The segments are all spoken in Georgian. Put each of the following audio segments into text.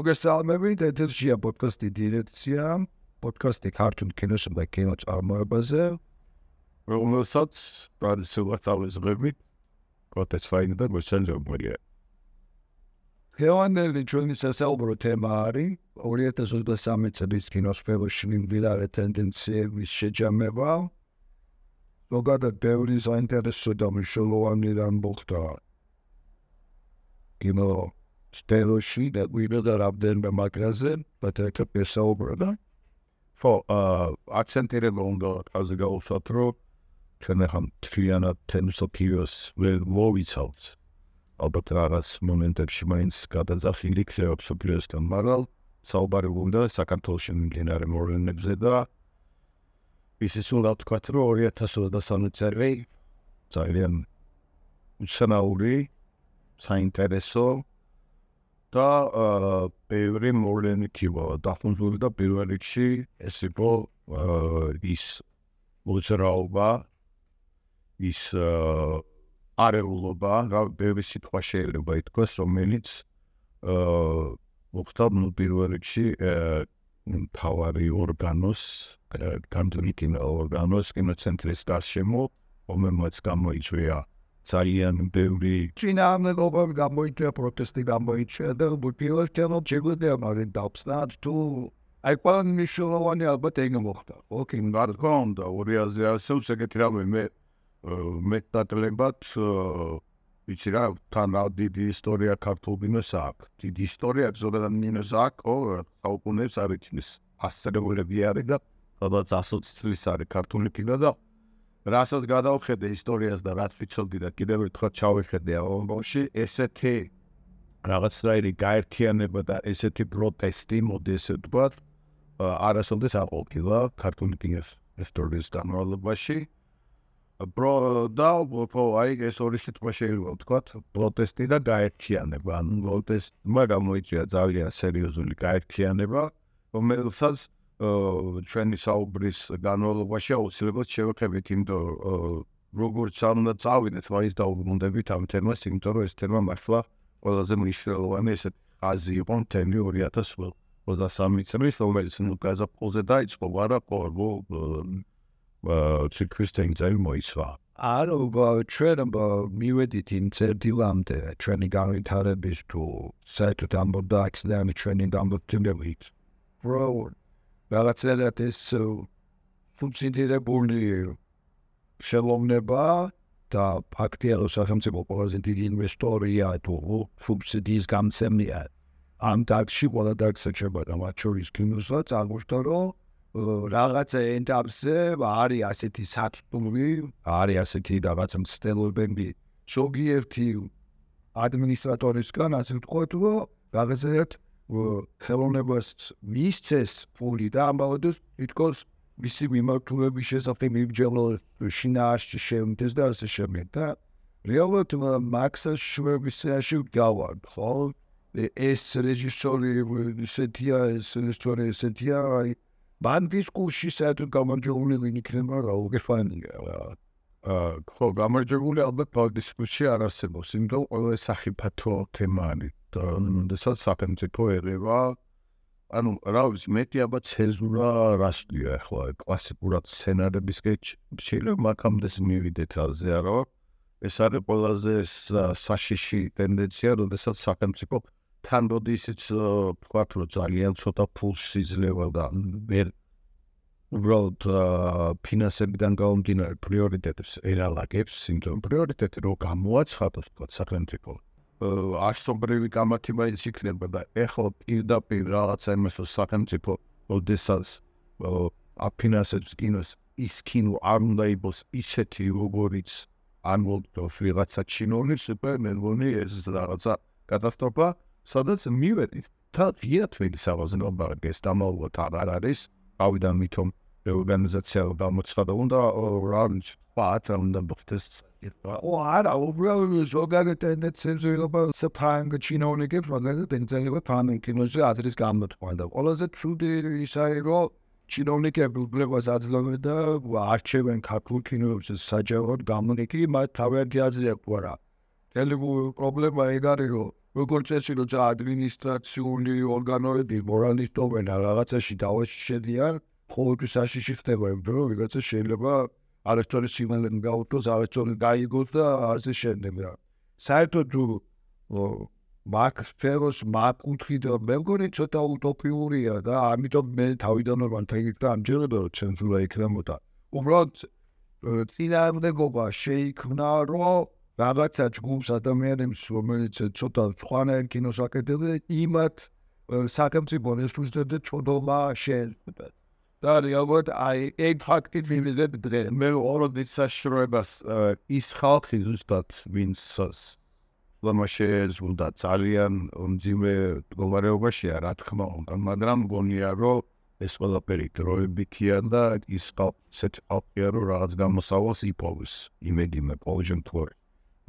მოგესალმებით, ეთერშია პოდკასტი დირექცია, პოდკასტი ქართულ კინოსა და კინოწარმოებაზე, რომელსაც ტრადიციულად წავიზღებით კოტეჩლაინი და გვეჩანჯობია. დღევანდელი ჩვენი სასაუბრო თემა არის 2023 წლის კინოსფეროში მიმდინარე ტენდენციების შეჯამება. ზოგადად ბევრი საინტერესო და მნიშვნელოვანი რამ მოხდა კინო სფეროში და გვინდა რამდენიმე მაგაზე, ბატონო ესაუბრება. აქცენტირება უნდა ასე გავუსვათ, რომ ჩვენ ახლა მთლიანად თემსოფიოს ვერ მოვიცავთ. ალბათ რაღაც მომენტებში მაინც გადაძახილი იქნება მსოფლიოსთან, მაგრამ საუბარი უნდა საქართველოში მიმდინარე მოვლენებზე და ისიც უნდა ვთქვათ, რომ 2023 წელი ძალიან უცნაური, საინტერესო და ბევრი მოვლენით იყო დაფუძნებული და პირველ რიგში ეს იყო ის მოძრაობა, ის არეულობა, რა ბევრი სიტყვა შეიძლება ითქვას, რომელიც მოხდა პირველ რიგში მთავარი ორგანოს, გამდნი კინოორგანოს, კინოცენტრის გარშემო, რომელმაც გამოიწვია ძალიან ბევრი წინააღმდეგობები გამოიწვია, პროტესტი გამოიწვია და პირველ რიგში შეგვიძლია მაგით დავხსნათ თუ აი ყველანი მნიშვნელოვანი ალბათ ეგ მოხდა. ოკეი, რა თქმა უნდა, 2000 ასეულს ეგეთი რამე მეტნაკლებად ვიცი რა, თან რა დიდი ისტორია ქართულ კინოს აქვს. დიდი ისტორია ზოგადად კინოს აქვს, საუკუნეებს არ იცის. ასწრებულები არის და სადაც 120 წლის არის ქართული კინო და რასაც გადავხედე ისტორიას და რაც ვიცოდი და კიდევ ერთხელ ჩავიხედე ალბომში, ესეთი რაღაცნაირი გაერთიანება და ესეთი პროტესტი, მოდი ესე ვთქვათ, არასოდეს არ ყოფილა ქართული კინოს ისტორიის განმავლობაში. და აი ეს ორი სიტყვა შეიძლება ვთქვათ, პროტესტი და გაერთიანება. ანუ პროტესტმა გამოიწვია ძალიან სერიოზული გაერთიანება, რომელსაც ჩვენი საუბრის განმავლობაში აუცილებლად შევეხებით, იმიტომ როგორც არ უნდა წავიდეთ, მაინც დაუბრუნდებით ამ თემას, იმიტომ რომ ეს თემა მართლა ყველაზე მნიშვნელოვანი ესეთი ხაზი იყო მთელი 2023 წლის, რომელიც გაზაფხულზე დაიწყო, მაგრამ ციკლის წელი მოიცვა. არა, ჩვენ მივედით იმ წერტილამდე ჩვენი განვითარების თუ საერთოდ ამბობდა აქციანი ჩვენი გამოცდილებით. რაღაცნაირად ეს ფუნქციონირებული ხელოვნება და ფაქტია, რომ სახელმწიფო ყველაზე დიდი ინვესტორია თუ სუბსიდიის გამცემია ამ დარგში ყველა დარგს ეჩებოდა, მათ შორის კინოსაც აღმოჩნდა, რომ რაღაცა ეტაპზე არის ასეთი საწტუმი, არის ასეთი რაღაც მცდელობები ზოგიერთი ადმინისტრატორისგან, ასე ვთქვათ, რომ რაღაცა ხელოვნებას მისცეს ფული და ამბავდეს თითქოს მისი მიმართულების შესახებ მიბრძოლოს შინაარსში შემდეს და ასე შემდეგ და რეალურად მაქსას შვებისაში გავარ, ხო? ეს რეჟისორი ესეთია, ეს რეჟისორი ესეთია, მან დისკურსში საერთოდ გამარჯვებული ვინ იქნება რა უგეფანია რა. ხო, გამარჯვებული ალბათ დისკურსში არ არსებობს, იმიტომ ყველა სახიფათო თემა არის. როდესაც სახელმწიფო ერევა, ანუ რა ვიცი, მეტი ალბათ ცენზურა რასწია ახლა კლასიკურად სცენარებისკენ შეიძლება მაგამდე მივიდეთ ალზე არა. ეს არის ყველაზე საშიში ტენდენცია, როდესაც სახელმწიფო თან როდი ისიც ვთქვათ, რომ ძალიან ცოტა ფულს იძლევა და ვერ უბრალოდ ფინანსებიდან გამომდინარე პრიორიტეტებს ერალაგებს, იმიტომ პრიორიტეტი რო გამოაცხადოს თქვათ სახელმწიფო არსობრივი გამართი მაინც იქნება და ეხლა პირდაპირ რაღაცა იმასო სახელმწიფო როდესაც აფინანსებს კინოს, ის კინო არ უნდა იყოს ისეთი როგორიც არ მოგდოს ვიღაცა ჩინოვნის სუპერმენვონი ეს რაღაცა კატასტროფა, სადაც მივედით და ღიათ მედისავაზე ნაბარგეს დამალულად აღარ არის, ავიდან მithom ორგანიზაცია გამოცხადა უნდა რა ვიცი, პატარა უნდა მოხდეს. არა, უბრალოდ ზოგადად ტენდენციებზე ვიღება საფრანგ ჩინოვნიკებს, მაგალითად ეხება ფრანგ კინოზე აზრის გამოთქვა და ყველაზე ცუდი ის არის, რომ ჩინოვნიკები უბრალოდ აძლევენ და არჩევენ ქართულ კინოებზე საჯაროდ გამონიკი, მათ თავიანთი აზრი აქვს არა. Tell you პრობლემა ეგ არის, რომ როგორც წესი, როცა ადმინისტრაციული ორგანოები მორალისტობენ რაღაცაში დავაში შედიან, ყოველთვის საშიში ხდება, იმიტომ რომ ვიღაცა შეიძლება არასწორი სიგნალები გაუწოს, არასწორი გაიგოს და ასე შემდეგ რა. საერთოდ მაგ სფეროს მაკუთხით მე მგონი ცოტა უტოპიურია და ამიტომ მე თავიდანვე ვანთქი ამჯერად რომ ცენზურა იქნებოდა. უბრალოდ წინააღმდეგობა შეიქმნა, რომ რაღაცა ჯგუფს ადამიანებს, რომელიც ცოტა სხვანაირ კინოს აკეთებდნენ, იმათ სახელმწიფო რესურსებზე წოდობა შეეძლება. და რეალურად ეგ ფაქტი მივიდეთ დღეს. მე ორობით საშროებას ის ხალხი ზუსტად ვინც შეეძლო ძალიან მძიმე მდგომარეობაშია, რა თქმა უნდა, მაგრამ მგონია, რომ ეს ყველაფერი დროებითია და ის ესეთი ხალხია, რომ რაღაც გამოსავალს იპოვის, იმედი მე ყოველ შემთხვევაში.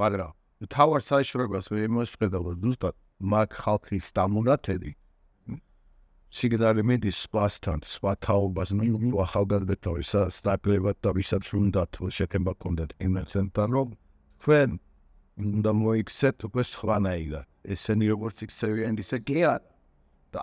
მაგრამ თავარ საშროებას მე მოსხედავ, რომ ზუსტად მაგ ხალხის დამონათელი სიგნალი მიდის სპასთან, სხვა თაობას, ნუ ახალგაზრდებთან სტაბილებად და ვისაც უნდათ შექება კონდეთ იმენთან, რომ თქვენ უნდა მოიქცეთ უკვე სხვანაირად. ესენი როგორც იქცევიან, ისე კი არა. და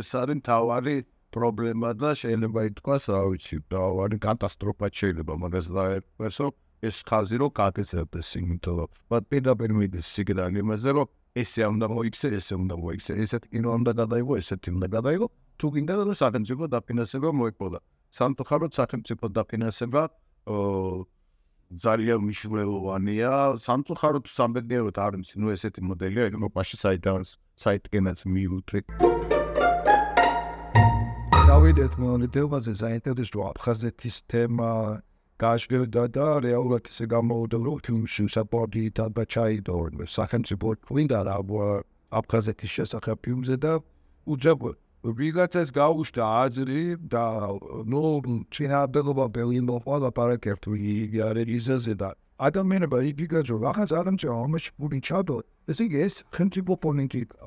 ეს არის მთავარი პრობლემა და შეიძლება ითქვას, რა ვიცი, მთავარი კატასტროფა შეიძლება მაგას დაერქვეს, რომ ეს ხაზი რომ გაგრძელდეს, იმიტომ რომ პირდაპირ მიდის სიგნალი იმაზე, რომ ესე უნდა მოიქცე, ესე უნდა მოიქცე, ესეთი კინო უნდა გადაიღო, ესეთი უნდა გადაიღო, თუ გინდა რომ სახელმწიფო დაფინანსება მოეყოლა. სამწუხაროდ სახელმწიფო დაფინანსება ძალიან მნიშვნელოვანია. სამწუხაროდ სამბედნიეროდ არ არის, ნუ ესეთი მოდელია ევროპაში, საიდანაც მივუწვით. დავიდეთ მონიტებაზე საინტერესო აფხაზეთის თემა გაჟღერდა და რეალურად ისე გამოვიდა, რომ ფილმში საპორტი დაჩაიდო სახელმწიფო გვინდა რა აფხაზეთის შესახებ ფილმზე და უძებ ვიღაცას გაუშვდა აზრი და ნუ წინააღმდეგობა ბევრი მოყვა ლაპარაკებთ რელიზაზე და ადამიანებმა იფიქრეს, რომ რაღაც ადამიანს ამაში პული ჩადო, ესე იგი ეს სახელმწიფო პოლიტიკა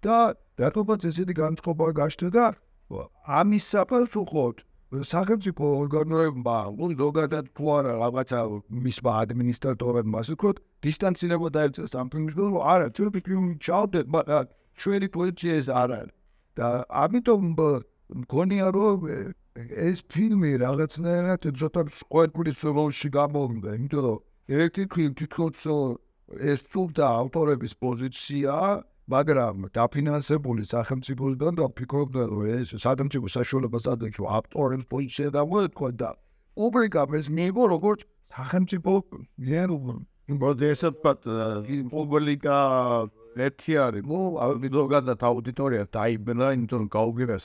და რატომაც ესეთი განწყობა გაჩნდა და ამის საპასუხოდ სახელმწიფო ორგანოებმა ზოგადად თუ არა რაღაცა მისმა ადმინისტრატორებმა ასე ვთქვათ დისტანცირება დაეწეს ამ ფილმისგან, რომ არა ჩვენი ფილმი ჩავდეთ, მაგრამ ჩვენი პოზიცია ეს არ არის და ამიტომ მგონია, რომ ეს ფილმი რაღაცნაირად ცოტა სკოლის როლში გამოვიდა, იმიტომ რომ ერთი თვითონ ეს სულთა ავტორების პოზიცია, მაგრამ დაფინანსებული სახელმწიფოსგან და ვფიქრობ, რომ ეს სახელმწიფო საშუალებას ადექვა ავტორებს პოზიცია გამოეთქვა და უბრალოდ ეს მიიღო როგორც სახელმწიფო პუბლიკა ერთი არის, ზოგადად აუდიტორია დაიბნა, იმიტომ რომ გაუგება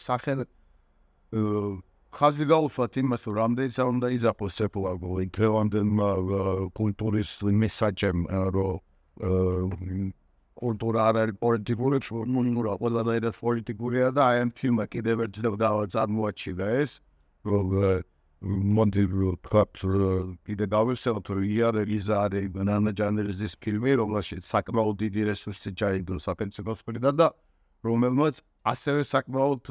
ხაზი გაუსვათ იმას, რომ რამდენიც არ უნდა იზაფოს დღევანდელმა კულტურის მესაჯემ, რომ კულტურა არ არის პოლიტიკური, ყველანაირად პოლიტიკურია და აი ამ ფილმმა კიდევ ერთხელ წარმოაჩინა ეს, რომ მონდი ვთქვათ, კიდე გავიხსენოთ, რომ იერელიზა არის ნანა ჯანერის ფილმი, რომელშიც საკმაოდ დიდი რესურსი ჩაიგდო სახელმწიფოს მხრიდან და რომელმაც ასევე საკმაოდ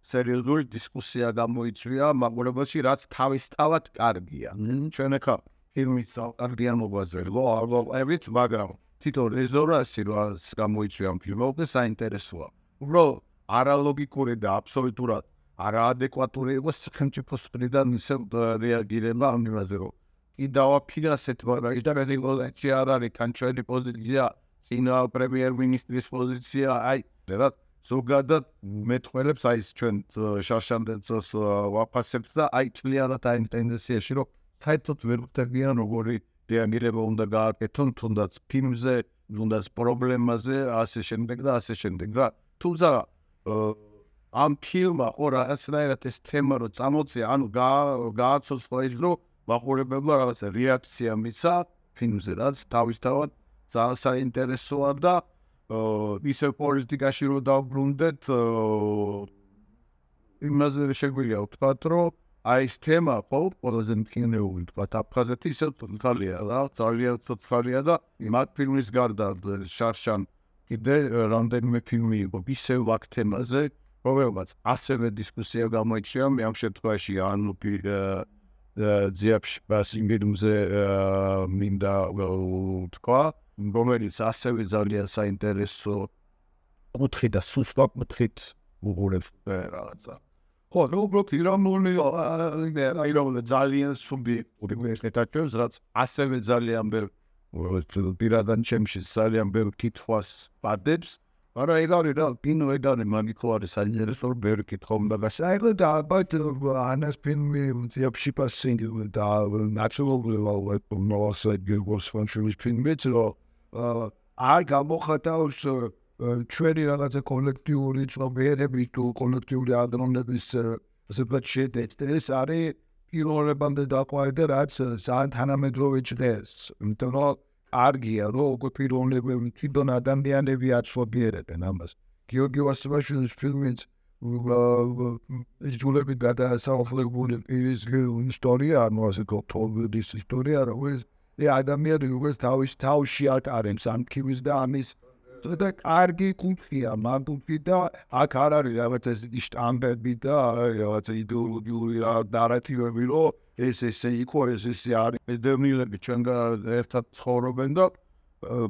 სერიოზული დისკუსია გამოიწვია მაგურებაში, რაც თავისთავად კარგია. ჩვენ ახლა ფილმის არგიანობაზე ვარვარებით, მაგრამ თვითონ რეზონანსი რაც გამოიწვია ამ ფილმზე საინტერესოა. უბრალოდ არალოგიკური და აბსოლუტურად არაადეკვატური იყო სახელმწიფოს მხრიდან ისე რეაგირება ამ იმაზე, რომ კი დავაფინანსეთ, მაგრამ იტალიის პოზიცია არ არის, თან ჩვენი პოზიცია, წინა პრემიერ-მინისტრის პოზიცია, აი, რა ზოგადად მეტყველებს აი ჩვენ შარშანდენცოს ვაფასებთ და აი თლიანად აი ტენდენციაში, რომ საერთოდ ვერ ვხვდებიან როგორი რეაგირება უნდა გააკეთონ, თუნდაც ფილმზე, თუნდაც პრობლემაზე, ასე შემდეგ და ასე შემდეგ რა. თუმცა ამ ფილმმა ხო რაღაცნაირად ეს თემა რო წამოწია, ანუ გააცოცხლა ის, რომ მაყურებელმა რაღაცა რეაქცია მიცა ფილმზე, რაც თავისთავად ძალიან საინტერესოა და ისევ პოლიტიკაში რო დავბრუნდეთ, იმაზე შეგვიძლია ვთქვათ, რომ აი ეს თემა ხო ყველაზე მყინვარული ვთქვათ აფხაზეთი ისევ ცოცხალია რა, ძალიან ცოცხალია და მაგ ფილმის გარდა შარშან კიდე რამდენიმე ფილმი იყო ისევ აქ თემაზე, რომელმაც ასევე დისკუსია გამოიწვია, მე ამ შემთხვევაში ანუ ძიაფშ ბასინგედუმზე მინდა ვთქვა, რომელიც ასევე ძალიან საინტერესო კუთხით და სუსტად კუთხით უყურებს რაღაცა. ხო, უბრალოდ ირამული ძალიან სუბიექტური მეთაჭებს, რაც ასევე ძალიან ბევრ პირადან ჩემში ძალიან ბევრ კითხვას პადებს. მაგრამ ეგ არის რა, კინო ეგ არის მაგითო არის საინტერესო ბევრი კითხვა უნდა გასაერთო და ალბათ ანას ფილმი ძიებში პასინგი და ნაცნობრივად მოსად გეგოს ფანშულის ფილმიც რომ არ გამოხატავს ჩვენი რაღაცა კოლექტიური ცნობიერები თუ კოლექტიური აზროვნების ასე ვთქვათ შედეგი ეს არის პირველებამდე დაყვაი და რაც ძალიან თანამედროვე ჭდეს იმიტომ რომ არგია რომ უკვე პიროვნებები თვითონ ადამიანები აცნობიერებენ ამას გიორგი ვასილაშვილის ფილმიც იძულები გადაასახლებული პირის ისტორია ანუ ასე გოთოლდის ისტორია რომ ეს ადამიანი როგორც თავში ატარებს ამქივის და ამის და კარგი კუთხია მაგუთი და აქ არ არის რაღაცა ისეთი შტამპები და რაღაცა იდეოლოგიური ნარატივები რომ ეს ესე იყო ეს ესე არის ეს დევნილები ჩვენგან ერთად ცხოვრობენ და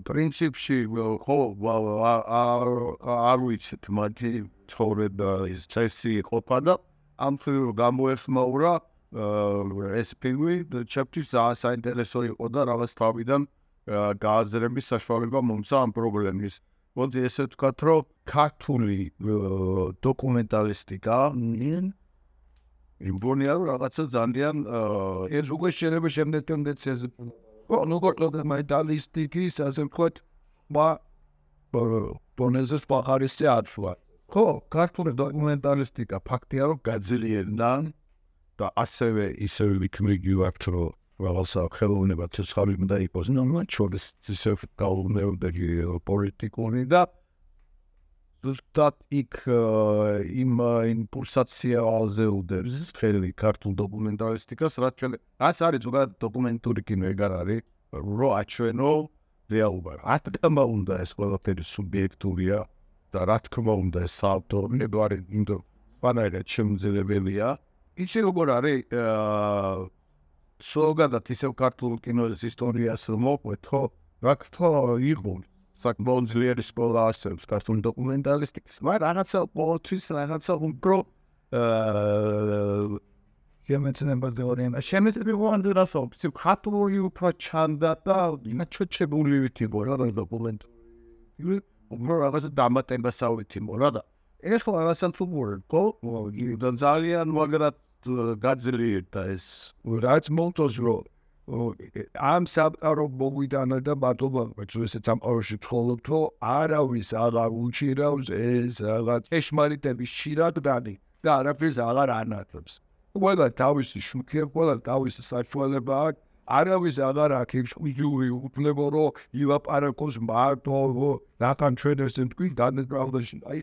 პრინციპში ხო არ ვიცით მათი ცხოვრება ის წესი ყოფა და ამ ფილმს გამოეხმაურა ეს ფილმი ჩემთვის ძალიან საინტერესო იყო და რაღაც თავიდან გააზრების საშუალება მომცა ამ პრობლემის. მოდი ესე ვთქვათ, რომ ქართული დოკუმენტალისტიკა იმბონია რომ რაღაცა ძალიან ეს უკვე შეიძლება შემდეგ ტენდენციაზე. ხო, როგორ დოკუმენტალისტიკის ასე ვთქვათ, დონეზე სხვა ხარისზე აცვა. ხო, ქართული დოკუმენტალისტიკა ფაქტია რომ გაძლიერდა და ასევე ისევ ვიქმნიგი ვართ რომ რაღაცა ხელოვნება ცოცხალი უნდა იყოს, მაგრამ ჩვენს ისევ გაუნეობდა პოლიტიკური და ზუსტად იქ იმ იმპულსაციაზე უდევს ხელი ქართულ დოკუმენტალისტიკას, რაც არის ზოგადად დოკუმენტური კინო ეგ არ არის, რომ აჩვენო რეალობა. რა თქმა უნდა ეს ყველაფერი სუბიექტურია და რა თქმა უნდა ეს საავტორო არის, იმიტომ სვანაირად შემძლებელია. ისე როგორ არის ზოგადად ისევ ქართულ კინოს ისტორიას მოყვეთ, ხო? რა თქმა იყო საკმაოდ ძლიერი სკოლა არსებობს ქართული დოკუმენტალისტიკის, მაგრამ რაღაცა ყოველთვის რაღაცა უფრო შემეცნებაზე რასაუბრს ქართული უფრო ჩანდა და ნაჩვენებული იყო რა დოკუმენტური უფრო რაღაცა დამატებასავით იყო რა და ეხლა რაღაცა უბრალოდ ხო და ძალიან მაგრად გაძლიერდა ეს რაც მომწონს რომ ამ სამყარო მოგვიდანა და მადლობა ესეც სამყაროში ვცხოვრობთ რომ არავის აღარ უჭირავს ეს რაღაც ეშმარიტების შირაგდანი და არაფერს აღარ ანათებს ყველა თავისი შუქია ყველა თავისი საშუალება აქვს არავის აღარ აქვს ექსკლუზიური უფლება რომ ილაპარაკოს მარტო რატომ ჩვენ ესე თქვი დანებრალდაში აი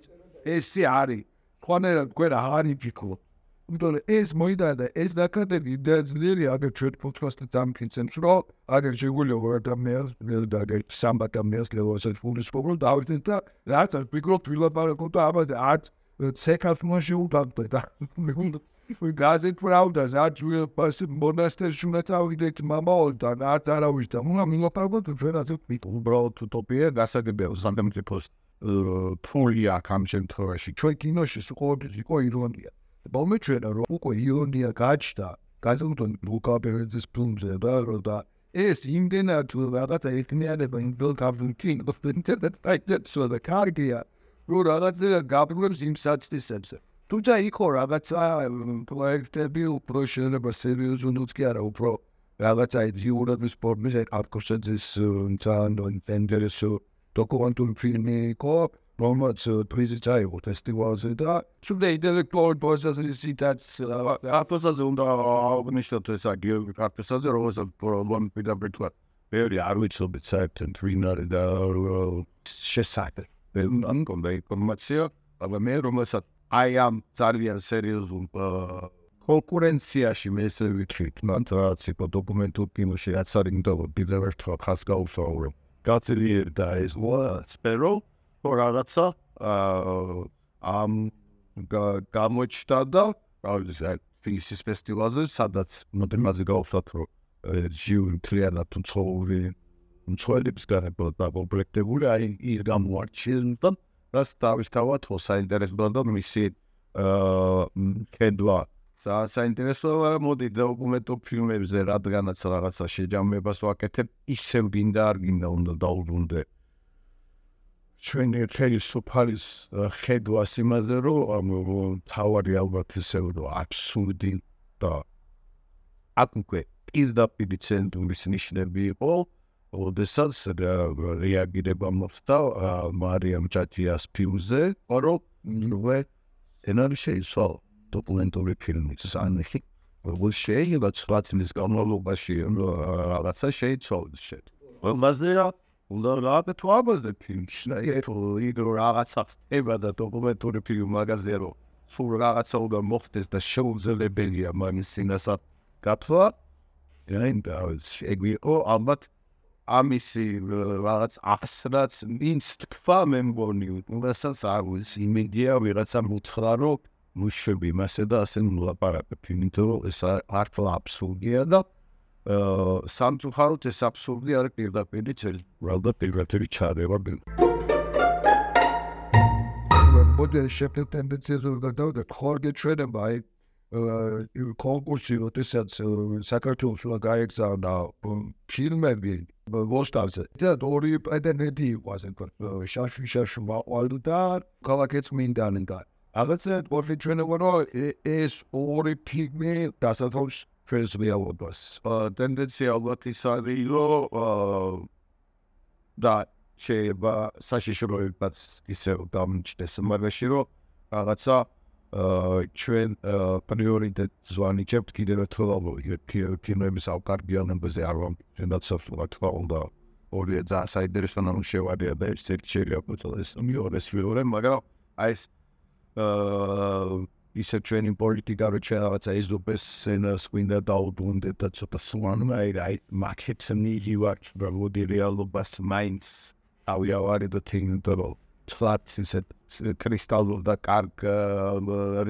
ესე არის ხوانერად თქვენ აღარ იფიქროთ იმიტომ ეს მოიდანა და ეს ნაკადები დაძლიერია აგერ ჩვენ პოდკასტზე დამკინცემს რომ აგერ შეგვიძლია ორ ადამიანს და აგერ სამ ადამიანს ლევასაც ფულის პრობლემ დავიწყეთ და რაც ვფიქრობთ ვილაპარაკოთ და ამაზე არც ცეკას უნდა შეუდაგდეთ და გაზეთ პრავდას არც მონასტერში უნდა წავიდეთ მამაოდან არც არავის და უნდა ვილაპარაკოთ ჩვენ ასე უბრალოდ utopia გასაგებია სამთემთიფოს ფული აქ ამ შემთხვევაში ჩვენ კინოში ყოველთვის იყო ირონია მომეჩვენა რომ უკვე ირონია გაჩნდა გაზრდონ ლუკა ბერეძის ფილმზე და ეს იმდენად რაღაცა ეხნიანება იმ ფილმში კინოს ინტერნეტსა და კარგია რომ რაღაცა გაბრუნებს იმ საცდისებზე თუმცა იქო რაღაცა პროექტები უფრო შეიძლება სერიოზულად კი არა უფრო რაღაცა იურების ფორმის არტკოსეძის ძალიან ინტერესო დოკუმენტური ფილმი იყო რომელიც პრიზიც აიღო ფესტივალზე და სულ ინტელექტუალური პროცესისითაც აფოსაზე უნდა აღნიშნოთ ეს გიორგი ქართესაძე რომელსაც პირდაპირ თქვა ბევრი არ ვიცოდით საერთოდ ვინ არის და შესაძლოა ან კონდა ინფორმაცია მაგრამ მე რომელსაც აი ამ ძალიან სერიოზულ კონკურენციაში მე ესე ვიტყვით მან რაც იყო დოკუმენტურ კინოში რაც არის იმიტომ კიდევ ერთხელ ხას გაუსაურო გაძლიერდა ეს სფერო რაღაცა ამ გამოჩნდა და რა ვიცი ფინისის ფესტივალზე სადაც მოდელმაზე გავხსნათ რომ ჟიური მთლიანად უცხოური მცველებს გარებოდ დაკომპლექტებული, აი ის გამოარჩიეს და რაც თავისთავად საინტერესოა და მისი ხედვა საინტერესოა, მაგრამ მოდი დოკუმენტურ ფილმებზე რადგანაც რაღაცა შეჯამებას ვაკეთებ, ისევ გინდა არ გინდა უნდა დაუბრუნდე ჩვენი ხელისუფლის ხედვას იმაზე, რომ თავარი ალბათ ისე რომ აბსურდი და აქ უკვე პირდაპირ ცენტრის ნიშნები იყო, როდესაც რეაგირება მოხდა მარიამ ჭაჭიას ფილმზე, რომ სცენარი შეიცვალა დოკუმენტური ფილმის ანახი, როგორც შეიძლება სხვა წლის განმავლობაში რაღაცა შეიცვალოს მასეა უნდა რაღაცა ამაზე ფილმში, იგრო რაღაცა ხდება და დოკუმენტური ფილმი მაგაზე რომ სულ რაღაცა უნდა მოხდეს და შეუძლებელია მის სინასა გათვლა, ეგრეო ალბათ ამისი რაღაც ახსნაც ვინც თქვა მე მგონი, რასაც არ ვიცი, იმედია ვიღაცამ უთხრა რომ მუშები მასე და ასე მოლაპარაკე იმიტომ რომ ეს ართლა აბსურდია და სამწუხაროდ ეს აბსურდი არის პირდაპირ წერდა პირდაპირ ჩარევა მოდელი შეფეთ ტენდენციაზე გადავდა ხორგე ჩვენება აი კონკურსი როდესაც საქართველოს უნდა გაეგზავნა ფილმები ვოსტარზე და ორი პრეტენდენტი იყო ასე ვთქვათ შაშუ მაყვალ და ქალაქეც მინდანი და რაღაცა პორტი ჩვენება რომ ეს ორი ფილმი დასათვალს ჩვენს რეალობას ტენდენცია ალბათ ის არის რომ და შეიძლება საშიშროებაც ისევ დამჭდეს მაგაში რომ რაღაცა ჩვენ პრიორიტეტს ვანიჭებთ კიდევ ერთხელ ფილმების ავკარგიანებაზე არ ვამბობთ თქვა უნდა ორი ძალიან საინტერესო ნამუშევარია და ეს ერთი შეიძლება წელს მეორე მაგრამ აი ეს ისე ჩვენი პოლიტიკა რო ჩვენ რაღაცა ეზოპეს სცენას გვინდა დაუბრუნდეთ და ცოტა სვანმა აი მაკეტნილი ვარ მოდი რეალობას მაინც ავიავარი და თინდრო თლაც ისე კრისტალურ და კარგ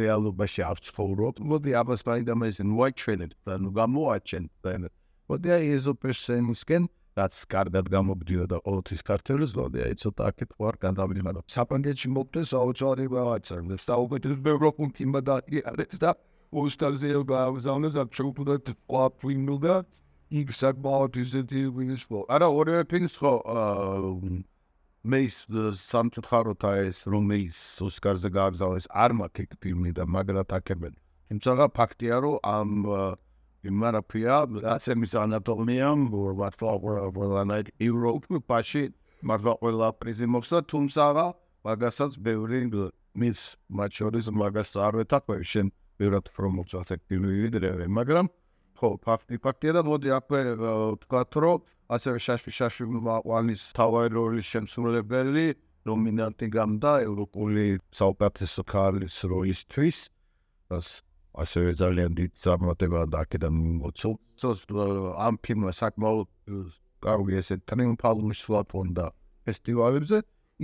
რეალობაში არ ცხოვრობ მოდი ამას მაინდა მოაჩვენებ და ნუ გამოაჩენ მოდი აი ეზოპეს სცენისკენ რაც კარგად გამოგდიოდა ყოველთვის ქართველებს, მოდი აი ცოტა აქეთ ვარ გადავიღარო. საფრანგეთში მოვდეს აუცილებლად რაღაცა, და უკეთეს ევროპულ ფილმად არის და ოსტარზე გავზავნეს აქ შეუძლოდ ყვაფინულ და იქ საკმაოდ ისეთი ვინის ხო. არა ორივე ფილმს ხო მე სამწუხაროდ ეს რომ ის ოსკარზე გააგზავნეს არ მაქვს ეგ ფილმი და მაგრად აკებენ. თუმცა ფაქტია რომ ამ იმარაფია ასემის ანატომია ვარლანაით ევროპაში მართლა ყველა პრიზი მოხდა თუმცა მაგასაც ბევრი მის მათ შორის მაგას არ ვეთაქვე შენ ბევრად პრომოციას აქტიური ვიდრე მაგრამ ხო ფაქტია და მოდი აქვე ვთქვათ რომ ასევე შაშვი მაყვალის თავარი როლის შემსრულებელი ნომინანტი გამდა ევროპული საუკეთესო ქალის როლისთვის ასევე ძალიან დიდ წარმატებაა და აქედან მოცულს ამ ფილმმა საკმაოდ კარგი ესე ტრიუმფალური სვლა ჰქონდა ფესტივალებზე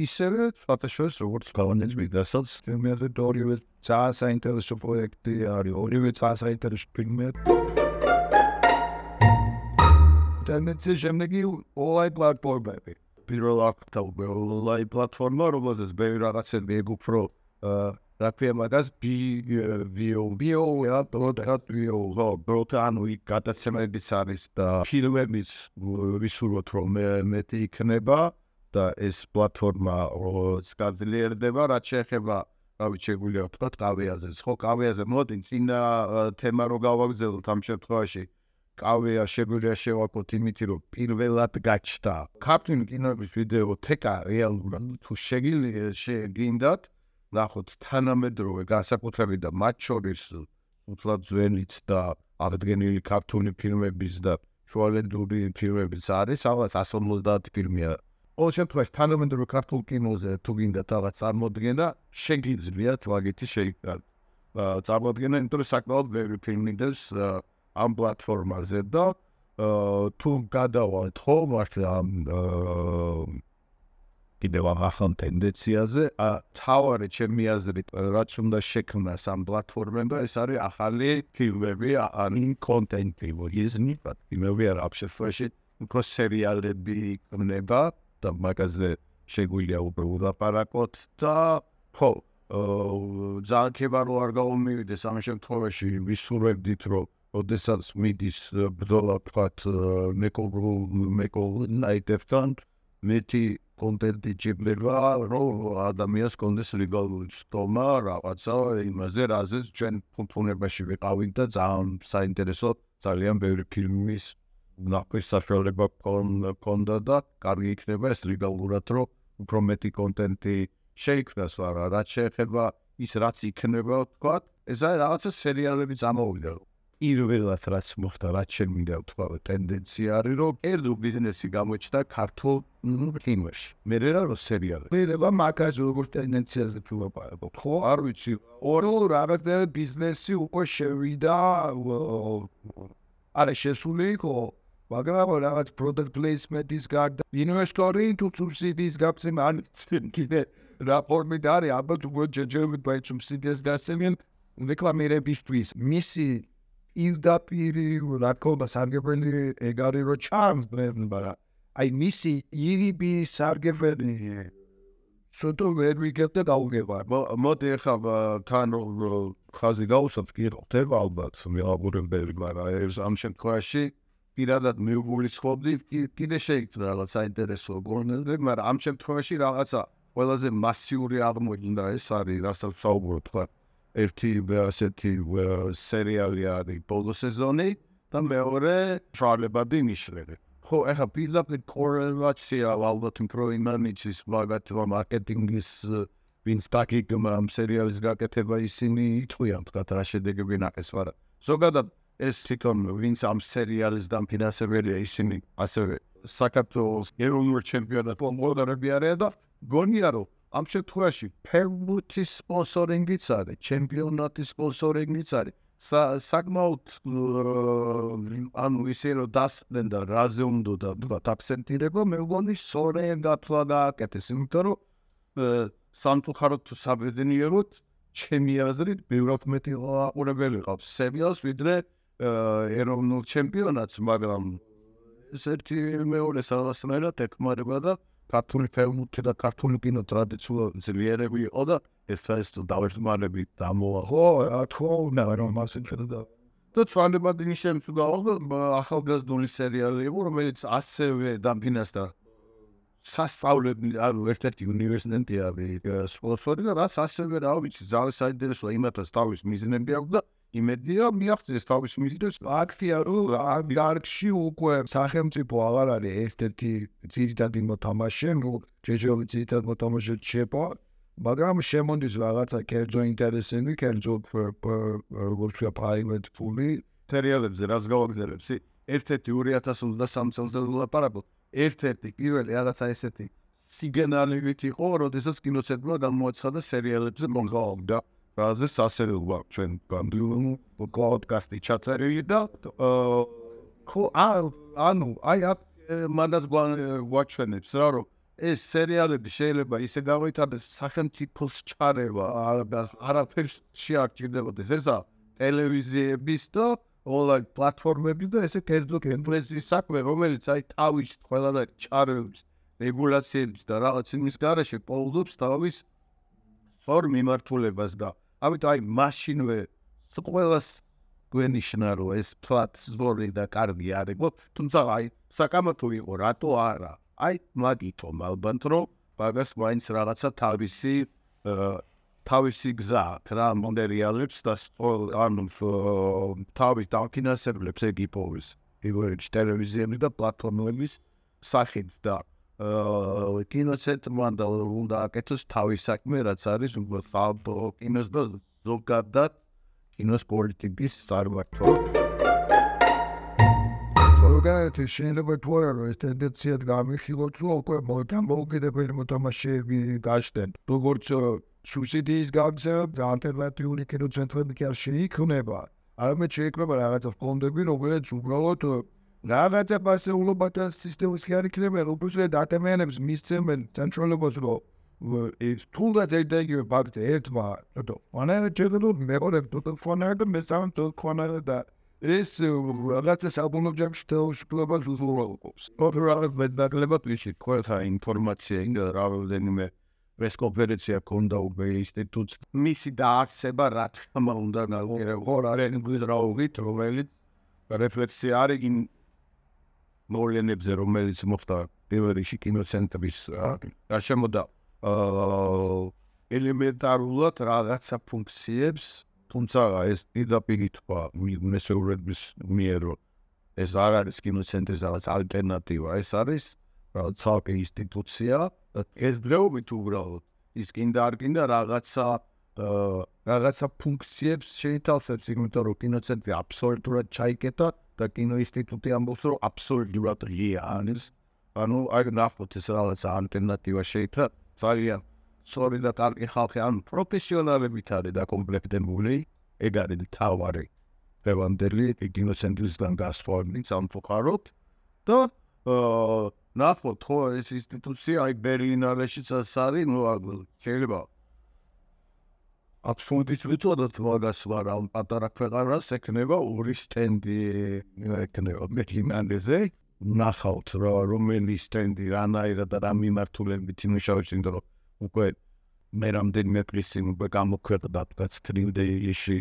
ისევე სხვათაშორის როგორც გალანეჯ მიგდასაც ფილმები ორივე ძალიან საინტერესო პროექტი არის ორივე ძალიან საინტერესო ფილმია ტენდენცია შემდეგი ონლაინ პლატფორმები პირველ აქტა ონლაინ პლატფორმა რომელზეც ბევრი რაღაცები ეგუფრო რაფია მაგას ანუ გადაცემებიც არის და ფილმებიც ვისურვოთ რომ მეტი იქნება და ეს პლატფორმა გაძლიერდება რაც შეეხება რავი შეგვიძლია ვთქვათ კავეაზეც ხო კავეაზე მოდი წინა თემა რო გავაგზავნოთ ამ შემთხვევაში კავეა შეგვიძლია შევაკოთ იმით რომ პირველად გაჩნდა ქართული კინოების ვიდეოთეკა რეალურად თუ შეგინდათ ნახოთ თანამედროვე განსაკუთრებით და მათ შორის უთლად ძველიც და აღდგენილი ქართული ფილმების და შუალედური ფილმებიც არის, რაღაც 150 ფილმია. ყოველ შემთხვევაში თანამედროვე ქართულ კინოზე თუ გინდათ რაღაც წარმოდგენა, შეგიძლიათ ვაგითი წარმოდგენა, იმიტომ რომ საკმაოდ ბევრი ფილმი დევს ამ პლატფორმაზე და თუ გადავალთ ხო მართლა კიდევ ახალ ტენდენციაზე თავარი ჩემი აზრით რაც უნდა შექმნას ამ პლატფორმებმა ეს არის ახალი ფილმები ან კონტენტი მოგიზნით ფილმები არ აფშეფაში უფრო სერიალები იქნება და მაგაზე შეგვიძლია უბრალოდ ლაპარაკოთ და ხო ძალიან ხება რომ არ გავუმივიდეს ამ შემთხვევაში ვისურვებდით რომ ოდესაც მიდის ბრძოლა თქვათ მეკობრულ ნაიდებთან მეტი კონტენტი ჭირდება რომ ადამიანს კონდეს ლეგალური ცდომა რაღაცა იმაზე რაზეც ჩვენ ფუნქციონებაში ვიყავით და ძალიან საინტერესო ძალიან ბევრი ფილმის ნახვის საშუალება გქონდა და კარგი იქნება ეს ლეგალურად რომ უფრო მეტი კონტენტი შეიქმნას არა რაც შეეხება ის რაც იქნება ვთქვათ ეს არის რაღაცა სერიალები წამოვიდა პირველად რაც მოხდა რაც შემინდა ვთქვათ ტენდენცია არის რომ კერძო ბიზნესი გამოჩნდა ქართულ კინოში მე რა სერიალები მერება მაგაზე როგორ ტენდენციაზე ვფიქრობ ხო არ ვიცი ორი რაღაცა ბიზნესი უკვე შევიდა არა შესული იყო მაგრამ რაღაც product placement-ის გარდა ინვესტორი თუ სუბსიდიის გაცემა არ კიდე რა ფორმით არის ალბათ უკვე ჯერჯერობით ბაი სუბსიდიას გასცემენ რეკლამირებისთვის მისი პირდაპირი რა თქმა სარგებელი ეგ არის რომ charms brand-მა აი მისი ირიბი სარგებელი სულ ვერ ვიგებ და გავუგება მოდი ახლა თან ხაზი გავუსვათ კი ხდება ალბათ მეაბურებელი მაგრამ ეს ამ შემთხვევაში პირადად მეგულისხმობდი კიდე შეიქმნა რაღაც საინტერესო გონებები მაგრამ ამ შემთხვევაში რაღაცა ყველაზე მასიური აღმოჩნდა ეს არის რასაც საუბრობ თქვა ერთი ასეთი სერიალი არის ბოლო სეზონი და მეორე შარლებადი ნიშნები ხო ახლა პირდაპირ კორელაცია ალბათ უფრო იმანიცის მაგათმა მარკეტინგის ვინც დაგიგმა ამ სერიალის გაკეთება ისინი იტყვიან თქვა რა შედეგები ნაკეს მაგრამ ზოგადად ეს თვითონ ვინც ამ სერიალის დამფინანსებელია ისინი ასევე საქართველოს ეროვნულ ჩემპიონატს მომღერლები არიან და გონია რომ ამ შემთხვევაში ფეხბურთის სპონსორინგიც არის ჩემპიონატის სპონსორინგიც არის საკმაოდ ანუ ისე რომ დასწრენ და რაზე უნდა თქვა აქცენტირება მე მგონი სწორედ გათვლა გააკეთეს იმიტომ რომ სამწუხაროდ თუ საბედნიეროდ ჩემი აზრით ბევრად მეტი აყურებელი ყავს სერიალს ვიდრე ეროვნულ ჩემპიონატს მაგრამ ეს ერთი მეორე რაღაცნაირად ეკმარება და ქართული ფეხბურთი და ქართული კინო ტრადიციულად ძლიერები იყო და ეს დავეხმარებით დამოა ხო რა თქმა უნდა რომ მასე შედა და ცვალებადი ნიშნებს უგავდა ახალგაზრდული სერიალი იყო რომელიც ასევე დამფინანსდა სასწავლებელი ანუ ერთ-ერთი უნივერსიტეტი არის სპონსორი და რაც ასევე რა ვიცი ძალიან საინტერესოა იმათაც თავის მიზნები აქვს და იმედია მიაღწიეს თავის მიზნებს ფაქტია რომ ამ დარგში უკვე სახელმწიფო აღარ არის ერთ-ერთი ძირითადი მოთამაშე ნუ ჯეჯოვი ძირითადი მოთამაშე შეპო მაგრამ შემონდის რაღაცა კერძო ინტერესები კერძო როგორც ვთქვა private ფული სერიალებზე რაც გავაგზავნებს ერთ-ერთი 2023 წელს ვლაპარაკობ ერთ-ერთი პირველი რაღაცა ესეთი სიგნალივით იყო როდესაც კინოცენტრმა გამოაცხადა სერიალებზე მონღოლდა რაზეც ასევე გვაქვს ჩვენ გამდივნულ პოდკასტი ჩაწერილი და ხო ანუ აი მანდაც გვაჩვენებს რა რომ ეს სერიალები შეიძლება ისე გამოიტანოს სახელმწიფოს ჩარევა არაფერს შეარჩინებოდეს ესა ტელევიზიების და online პლატფორმების და ესე კერძო კენფლესის საქმე რომელიც აი თავის ყველანაირ ჩარევებს რეგულაციების და რაღაც იმის გარეშე პოულობს თავის სწორ მიმართულებას და ამიტომ აი მაშინვე ყველას გვენიშნა რომ ეს პლატფორმი და კარგი არის თუმცა აი საკამათო იყო რატო არა აი მაგითო ალბათ რომ მაგას მაინც რაღაცა თავისი გზა რა მონდერიალებს და ანუ თავის დამფინანსებლებს ეგ იპოვის იგივე ტელევიზიები და პლატფორმების სახით და კინოცენტრმა და უნდა აკეთოს თავის საქმე რაც არის კინოს და ზოგადად კინოს პოლიტიკის წარმართვა ზოგადად შეიძლება თქვა რომ ეს ტენდენცია გამიხილოთ რომ უკვე დამოუკიდებელი მოთამაშეები გაშտენ როგორც სუბსიდიის გაგზავნა ალტერნატიული კინოცენტრები კი არ შეიქმნება არამედ შეიქმნება რაღაცა ფონდები რომელიც უბრალოდ რაღაცა პასეულობათა სისტემის კი არ იქნება უბრალოდ ადამიანებს მისცემენ საშუალებას რომ ეს თუნდაც ერთ-ერთი ფაქტი ერთმა ფონარი ჯერდო მეორე ფონარი და მესამე ფონარი და ეს რაღაცა საბოლოო ჯამში თავისუფლებას უზრუნველყოფს. რაღაც მეტნაკლებად ვიცით, ყველა ინფორმაცია ინდა რაოდენიმე პრესკონფერენცია ქონდა უბე ინსტიტუტს. მისი დაარსება რა თქმა უნდა გზრაობით, რომელიც რეფლექსია არის იმ მოვლენებზე, რომელიც მოხდა პირველ რიგში კინოცენტრის გარშემო და ელემენტარულად რაღაცა ფუნქციებს, თუმცა ეს პირდაპირ თქვა მესეურების მიერ ეს არ არის კინოცენტრის რაღაც ალტერნატივა, ეს არის რაღაც ცალკე ინსტიტუცია და ეს დღეობით უბრალოდ ის კიდე არ კიდე რაღაცა ფუნქციებს შეითავსებს, იმიტომ რომ კინოცენტრი აბსოლუტურად ჩაიკეტა და კინოინსტიტუტი ამბობს რომ აბსოლუტურად ღია არის. ანუ აი ნახოთ ეს რაღაც ალტერნატივა შეიქმნა ძალიან სწორი და კარგი ხალხი ან პროფესიონალებით არის დაკომპლექტებული, ეგ არის თავარი ფევანდელი კინოცენტრისგან გასვლით სამწუხაროდ და ნახოთ ხო ეს ინსტიტუცია აი ბერლინალეშიც არის, ნუ შეიძლება აბსოლუტით ვიცოდოთ მაგას მაგრამ პატარა ქვეყანას ექნება ორი სტენდი ექნება ბერლინალეზე ნახავთ რომელი სტენდი რანაირად და რა მიმართულებით იმუშავებს, იმიტომ რომ უკვე მე რამდენიმე დღის წინ უკვე გამოქვეყნდა თქვაც ტრილდეიში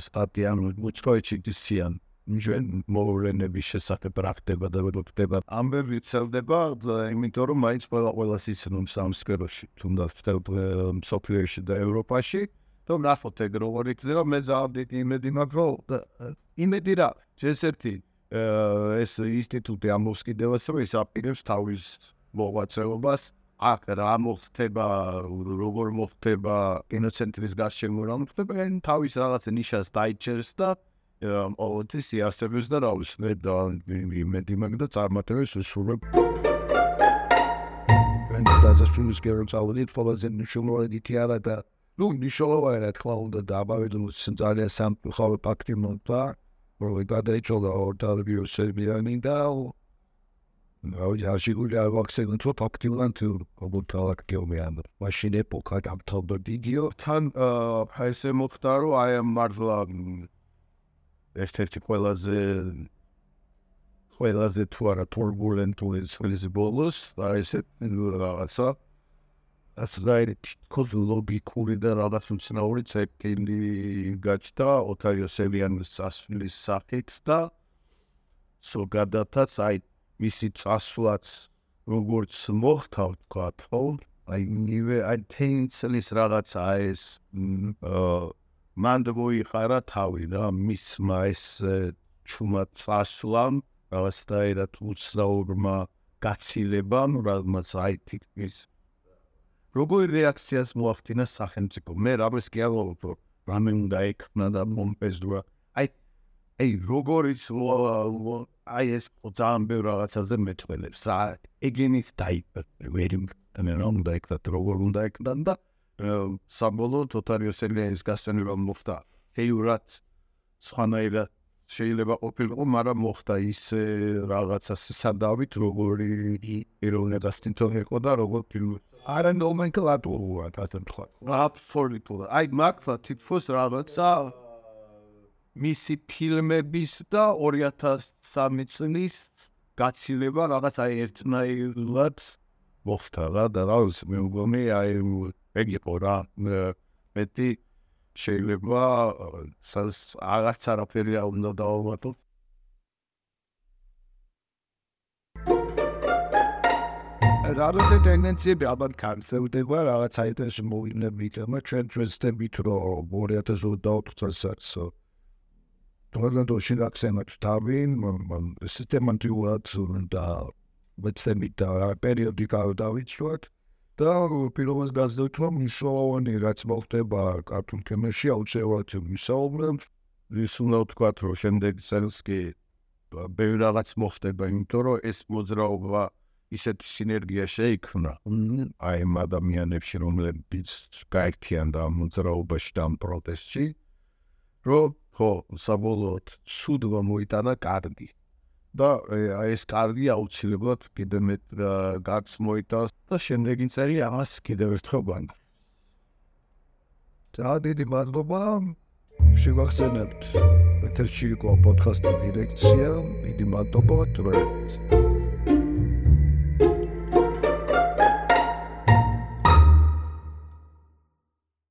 სტატია უცხოეთში დისიან ჩვენ მოვლენების შესახებ რა ხდება და როგორ ხდება. ამბები ვრცელდება, იმიტომ რომ მაინც ყველას იცნობს ამ სფეროში, თუნდაც მსოფლიოში და ევროპაში. და ნახოთ ეგ როგორ იქნება, მე ძალიან დიდი იმედი მაქვს, რომ იმედი რა, ჯერსერთი ეს ინსტიტუტი ამბობს კიდევაც, რომ ის აპირებს თავის მოღვაწეობას აქ რა მოხდება, როგორ მოხდება კინოცენტრის გარშემო რა მოხდება, თავის რაღაც ნიშას დაიჭერს და ყოველთვის იარსებებს და რა ვიცი, მე იმედი მაქვს და წარმატებებს ვისურვებ. დასასრულის გეროს ავდით ყველაზე მნიშვნელოვანი თეატრა და ნუ მნიშვნელოვანი რა თქმა უნდა და ამავე დროს ძალიან სამწუხარო ფაქტი მოხდა, რომ გადაიცვალა ორტალბიო სერბიანი და Așiguri a accentul tot activant obutala გეომიან მაშინ ეპოქა დამთავრდა დიდიო თან ესე მოხდა რომ აი ამ მართლა ერთ-ერთი ყველაზე თუ არა турბულენტული წლის ბოლოს და ესე რაღაცა ასრაელი ლოგიკური და რაღაც უცნაური ცეკილი გაჩნდა ოთარ იოსელიანის წასვლის სახით და ზოგადადაც აი მისი წასვლაც როგორც მოხდა ვთქვათ, ხო? აი თენცლის რაღაცა ეს მანდ მოიხარა თავი რა მისმა ეს ჩუმად წასვლამ რაღაცნაირად უცნაურმა გაცილებამ რაღაც აი თითქმის როგორი რეაქციას მოახდინა სახელმწიფო მე რამეს კი არ ვუყურო რამე უნდა ექნა და მომპეზდურა აი როგორიც აი ეს ძალიან ბევრ რაღაცაზე მეტყველებს რა ეგენიც დაიყვნენ რომ უნდა ეკდათ როგორ უნდა ეკდან და საბოლოოდ ოთარ იოსელიანის გასცენება მოხდა ეიურად სხვანაირად შეიძლება ყოფილიყო მაგრამ მოხდა ის რაღაცა სადავით როგორი ეროვნებას თვითონ იყო და როგორ ფილმი არა ნომენკლატურულად ასე თქვა აბსოლუტურად აი მართლა თითქოს რაღაცა მისი ფილმების და 2003 წლის გაცილება რაღაც აი ერთნაირად მოხდა რა და რა ვიცი მე მგონი აი ეგ იყო რა მეტი შეიძლება აღარც არაფერი არ უნდა დავამატო რაღაცა ტენდენციები ალბათ განსხვავდება რაღაც საერთაშორისო მოვლენებით მაგრამ ჩვენ ვეცდებით რომ 2024 წელსაც თორემ შეგაქცევათ თავი სისტემატურად და ვეცდებით და პერიოდიკა დავიცვათ და პირველად გაზრდით რომ მნიშვნელოვანი რაც მოხდება კარტუნ კინოში აუცილებლად ვისაუბრებთ ის უნდა ვთქვათ რომ შემდეგ წელს კი ბევრ რაღაც მოხდება იმიტომ რომ ეს მოძრაობა ისეთი სინერგია შეიქმნა აი ამ ადამიანებში რომლებიც გაერთიანდა ამ მოძრაობაში და ამ პროტესტში რომ ხო საბოლოოდ ცუდმა მოიტანა კარგი და აი ეს კარგი აუცილებლად კიდე მეტ გარს მოიტანს და შემდეგი წელი ამას კიდევ ერთხელ გვანდა ძალიან დიდი მადლობა შევახსენებთ ეთერში იყო პოდკასტის დირექცია. დიდი მადლობა, თუ